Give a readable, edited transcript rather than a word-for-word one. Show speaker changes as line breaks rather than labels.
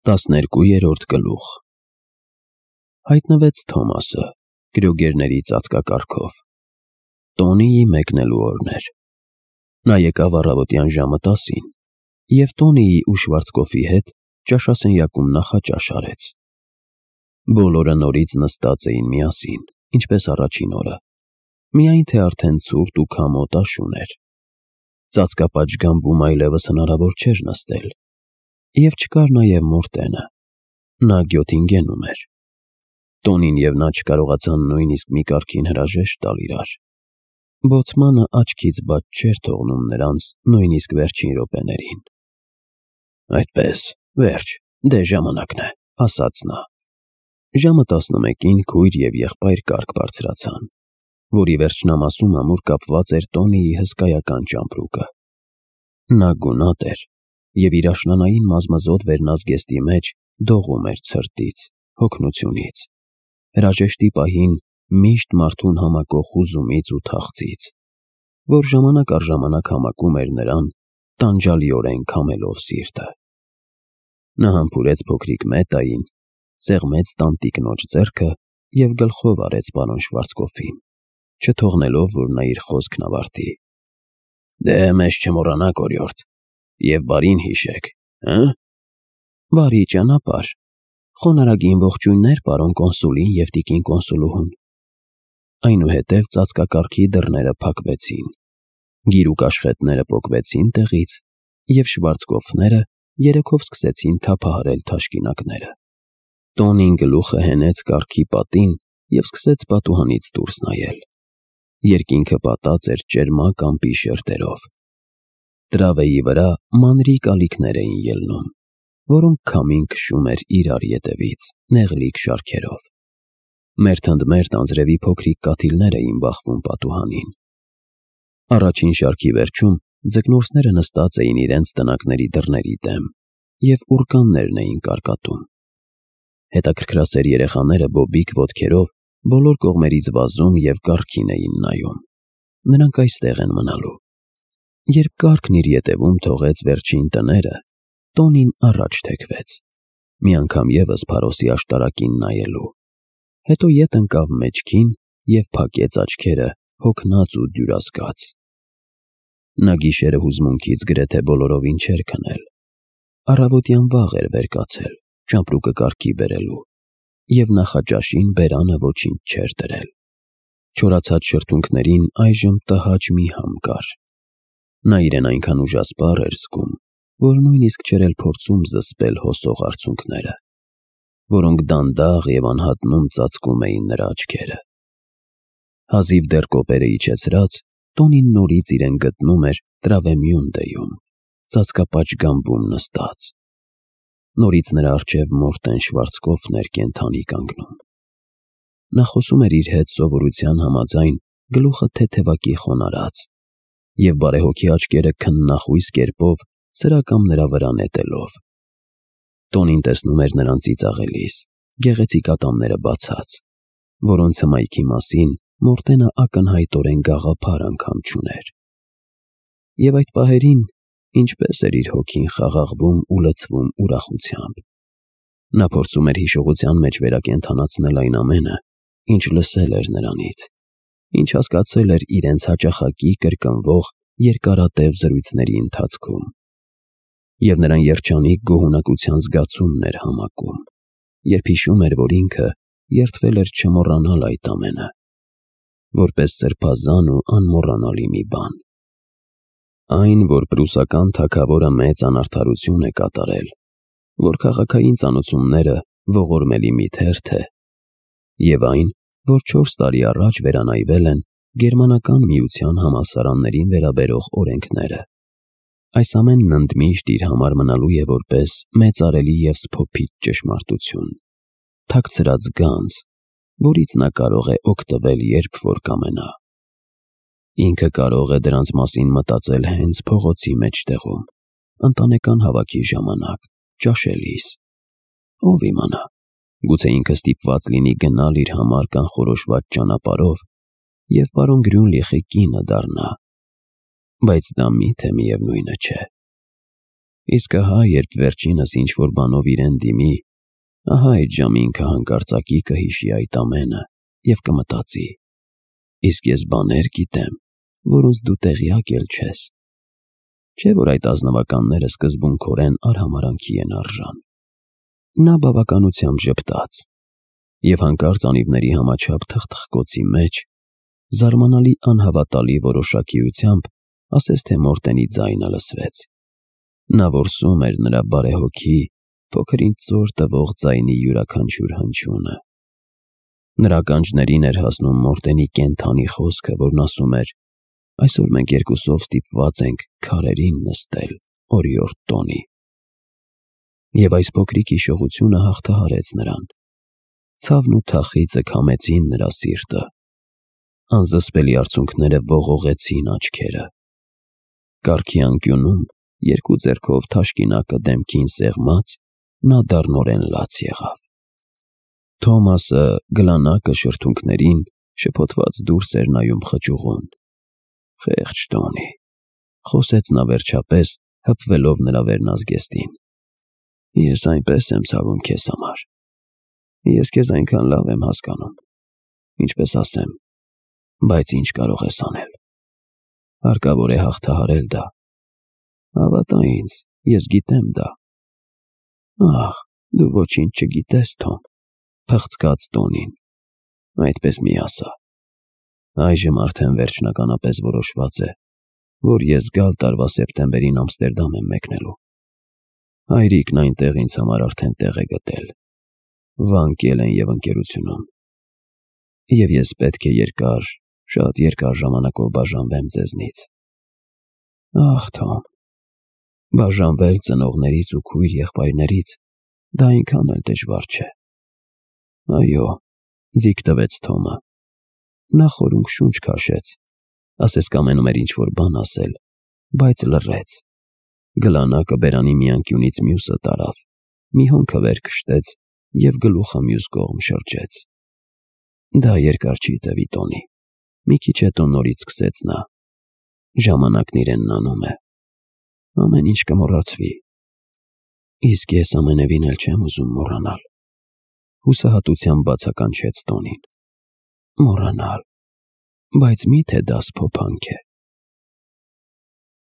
12-րդ գլուխ Հայտնվեց Թոմասը, գրոգերների ծածկակարգով։ Տոնիի մեկնելու օրն էր։ Նա եկավ առավոտյան ժամը 10-ին և Տոնիի ու Շվարցկոֆի հետ ճաշասենյակում նախաճաշ արեց։ Բոլորը նորից նստած էին միասին, ինչպես առաջին օրը, միայն թե արդեն ցուրտ ու քամոտ աշուն էր։ Ծածկապատժգամբում այլևս հնարավոր չէր նստել, և չկար նաև Մորտենը, նա գյոթին գնում էր։ Տոնին և նա չկարողացան նույնիսկ մի կարգին հրաժեշտ տալ իրար։ Բոցմանը աչքից բաց չէր թողնում նրանց նույնիսկ վերջին րոպեներին։ «Այդպես, վերջ, դե ժամանակն է», ասաց նա։ Ժամը 11-ին քույր և եղբայր կարգ բարձրացան, որի վերջնամասում ամուր կապված էր Տոնիի հսկայական ճամպրուկը։ Նա գունատ էր և իր աշնանային մազմզոտ վերնազգեստի մեջ դողում էր ցրտից, հոգնությունից, հրաժեշտի պահին միշտ մարդուն համակող հուզումից ու թախծից, որ ժամանակ առ ժամանակ համակում էր նրան, տանջալիորեն քամելով սիրտը։ Նա համբուրեց փոքրիկ Մետային, սեղմեց տանտիկնոջ ձեռքը և գլխով արեց պարոն Շվարցկոֆին, չթողնելով, որ նա իր խոսքն ավարտի։ «Դե մեզ չմոռանաք, օրիորդ, և բարին հիշեք, հը՞»։ «Բարի ճանապարհ, խոնարհագին ողջույններ պարոն կոնսուլին և տիկին կոնսուլուհուն»։ Այնուհետև ծածկակարգի դռները փակվեցին, գիրուկ աշխետները պոկվեցին տեղից, և Շվարցկոֆները երեքով սկսեցին թափահարել թաշկինակները։ Տոնին գլուխը հենեց կառքի պատին և սկսեց պատուհանից դուրս նայել։ Երկինքը պատած էր ճերմակ ամպի շերտերով։ Տրավեի վրա մանրիկ ալիքներ էին ելնում, որոնք քամին քշում էր իրար ետևից, նեղլիկ շարքերով։ Մերթ ընդ մերթ անձրևի փոքրիկ կաթիլներ էին բախվում պատուհանին։ Առաջին շարքի վերջում ձկնորսները նստած էին իրենց տնակների դռների դեմ և ուռկաններն էին կարկատում։ Հետաքրքրասեր երեխաները բոբիկ ոտքերով բոլոր կողմերից վազում և կառքին էին նայում։ Նրանք այստեղ են մնալու։ Երբ կառքն իր ետևում թողեց վերջին տները, Տոնին առաջ թեքվեց, մի անգամ ևս Փարոսի աշտարակին նայելու, հետո ետ ընկավ մեջքին և փակեց աչքերը հոգնած ու դյուրազգաց։ Նա գիշերը հուզմունքից գրեթե բոլորովին չէր քնել։ Առավոտյան վաղ էր վեր կացել, ճամպրուկը կառքի բերելու, և նախաճաշին բերանը ոչինչ չէր դրել։ Չորացած շրթունքներին այժմ տհաճ մի համ կար։ Նա իրեն այնքան ուժասպառ էր զգում, որ նույնիսկ չէր էլ փորձում զսպել հոսող արցունքները, որոնք դանդաղ և անհատնում ծածկում էին նրա աչքերը։ Հազիվ դեռ կոպերը իջեցրած, Տոնին նորից իրեն գտնում էր Տրավեմյունդեում, ծածկապատժգամբում նստած։ Նորից նրա առջև Մորտեն Շվարցկոֆն էր կենդանի կանգնում։ Նա խոսում էր իր հետ սովորության համաձայն գլուխը թեթևակի խոնարհած և բարեհոգի աչքերը քննախույս կերպով սրա կամ նրա վրա նետելով։ Տոնին տեսնում էր նրան ծիծաղելիս, գեղեցիկ ատամները բացած, որոնց հմայքի մասին Մորտենը ակնհայտորեն գաղափար անգամ չուներ։ Եվ այդ պահերին ինչպես էր իր հոգին խաղաղվում ու լցվում ուրախությամբ։ Նա փորձում էր հիշողության մեջ վերակենդանացնել այն ամենը, ինչ լսել էր նրանից, ինչ հասկացել էր իրենց հաճախակի կրկնվող երկարատև զրույցների ընթացքում։ Եվ նրան երջանիկ գոհունակության զգացումն էր համակում, երբ հիշում էր, որ ինքը երդվել էր չմոռանալ այդ ամենը, որպես սրբազան ու անմոռանալի մի բան։ Այն, որ պրուսական թագավորը մեծ անարդարություն է կատարել, որ քաղաքային ծանոցումները ողորմելի մի թերթ է, և այն, որ 4 տարի առաջ վերանայվել են Գերմանական միության համալսարաններին վերաբերող օրենքները։ Այս ամենն ընդմիշտ իր համար մնալու է որպես մեծարելի և սփոփիչ ճշմարտություն, թաքցրած գանձ, որից նա կարող է օգտվել, երբ որ կամենա։ Ինքը կարող է դրանց մասին մտածել հենց փողոցի մեջտեղում, ընտանեկան հավաքի ժամանակ, ճաշելիս։ Ով իմանա, գուցե ինքը ստիպված լինի գնալ իր համար կանխորոշված ճանապարհով և պարոն Գրյունլիխի կինը դառնա, բայց դա միթե միևնույնը չէ։ Իսկ ահա երբ վերջինս ինչ-որ բանով իրեն դիմի, ահա այդ ժամի ինքը հանկարծակի կհիշի այդ ամենը և կմտածի. իսկ ես բաներ գիտեմ, որոնց դու տեղյակ էլ չես։ Չէ՞ որ այդ ազնվականները սկզբունքորեն արհամարհանքի են արժան։ Նա բավականությամբ ժպտաց և հանկարծ անիվների համաչափ թխթխկոցի մեջ զարմանալի անհավատալի որոշակիությամբ ասես թե Մորտենի ձայնը լսվեց։ Նա որսում էր նրա բարեհոգի, փոքր-ինչ ծոր տվող ձայնի յուրաքանչյուր հնչյունը։ Նրա ականջներին էր հասնում Մորտենի կենդանի խոսքը, որն ասում էր. «Այսօր մենք երկուսով ստիպված ենք քարերին նստել օրիորդ տոնի»։ Եվ այս փոքրիկ հիշողությունը հաղթահարեց նրան։ Ցավն ու թախիծը քամեցին նրա սիրտը։ Անզսպելի արցունքները ողողեցին աչքերը։ Կառքի անկյունում, երկու ձեռքով թաշկինակը դեմքին սեղմած, նա դառնորեն լաց եղավ։ Թոմասը գլանակը շրթունքներին շփոթված դուրս էր նայում խճուղուն։ «Խեղճ Տոնի», խոսեց նա վերջապես, հպվելով նրա վերնազգեստին։ «Ես այնպես եմ ցավում քեզ համար։ Ես քեզ այնքան լավ եմ հասկանում, ինչպես ասեմ, բայց ինչ կարող ես անել։ Հարկավոր է հաղթահարել դա։ Հավատա ինձ, ես գիտեմ դա»։ «Ախ, դու ոչինչ չգիտես, Թոմ», փղցկաց Տոնին։ «Այդպես մի ասա։ Այժմ արդեն վերջնականապես որոշված է, որ ես գալ տարվա սեպտեմբերին Ամստերդամ եմ մեկնելու։ Հայրիկն այնտեղ ինձ համար արդեն տեղ է գտել, Վան Կելեն և ընկերությունում, և ես պետք է երկար, շատ երկար ժամանակով բաժանվեմ ձեզնից»։ «Ախ, Թոմ, բաժանվել ծնողներից ու քույր-եղբայրներից, դա այնքան էլ դժվար չէ»։ «Այո», ձիգ տվեց Թոմը։ Նա խորունգ շունչ քաշեց, ասես կամենում էր ինչ-որ բան ասել, բայց լռեց։ Գլանակը բերանի մի անկյունից մյուսը տարավ, մի հոնքը վեր քշտեց և գլուխը մյուս կողմ շրջեց։ «Դա երկար չի տևի, Տոնի», մի քիչ հետո նորից սկսեց նա։ «Ժամանակն իրենն անում է։ Ամեն ինչ կմոռացվի։ Իսկ ես ամենևին էլ չեմ ուզում մոռանալ», հուսահատությամբ բացականչեց Տոնին։ «Մոռանալ, բայց մի՞թե դա սփոփանք է»։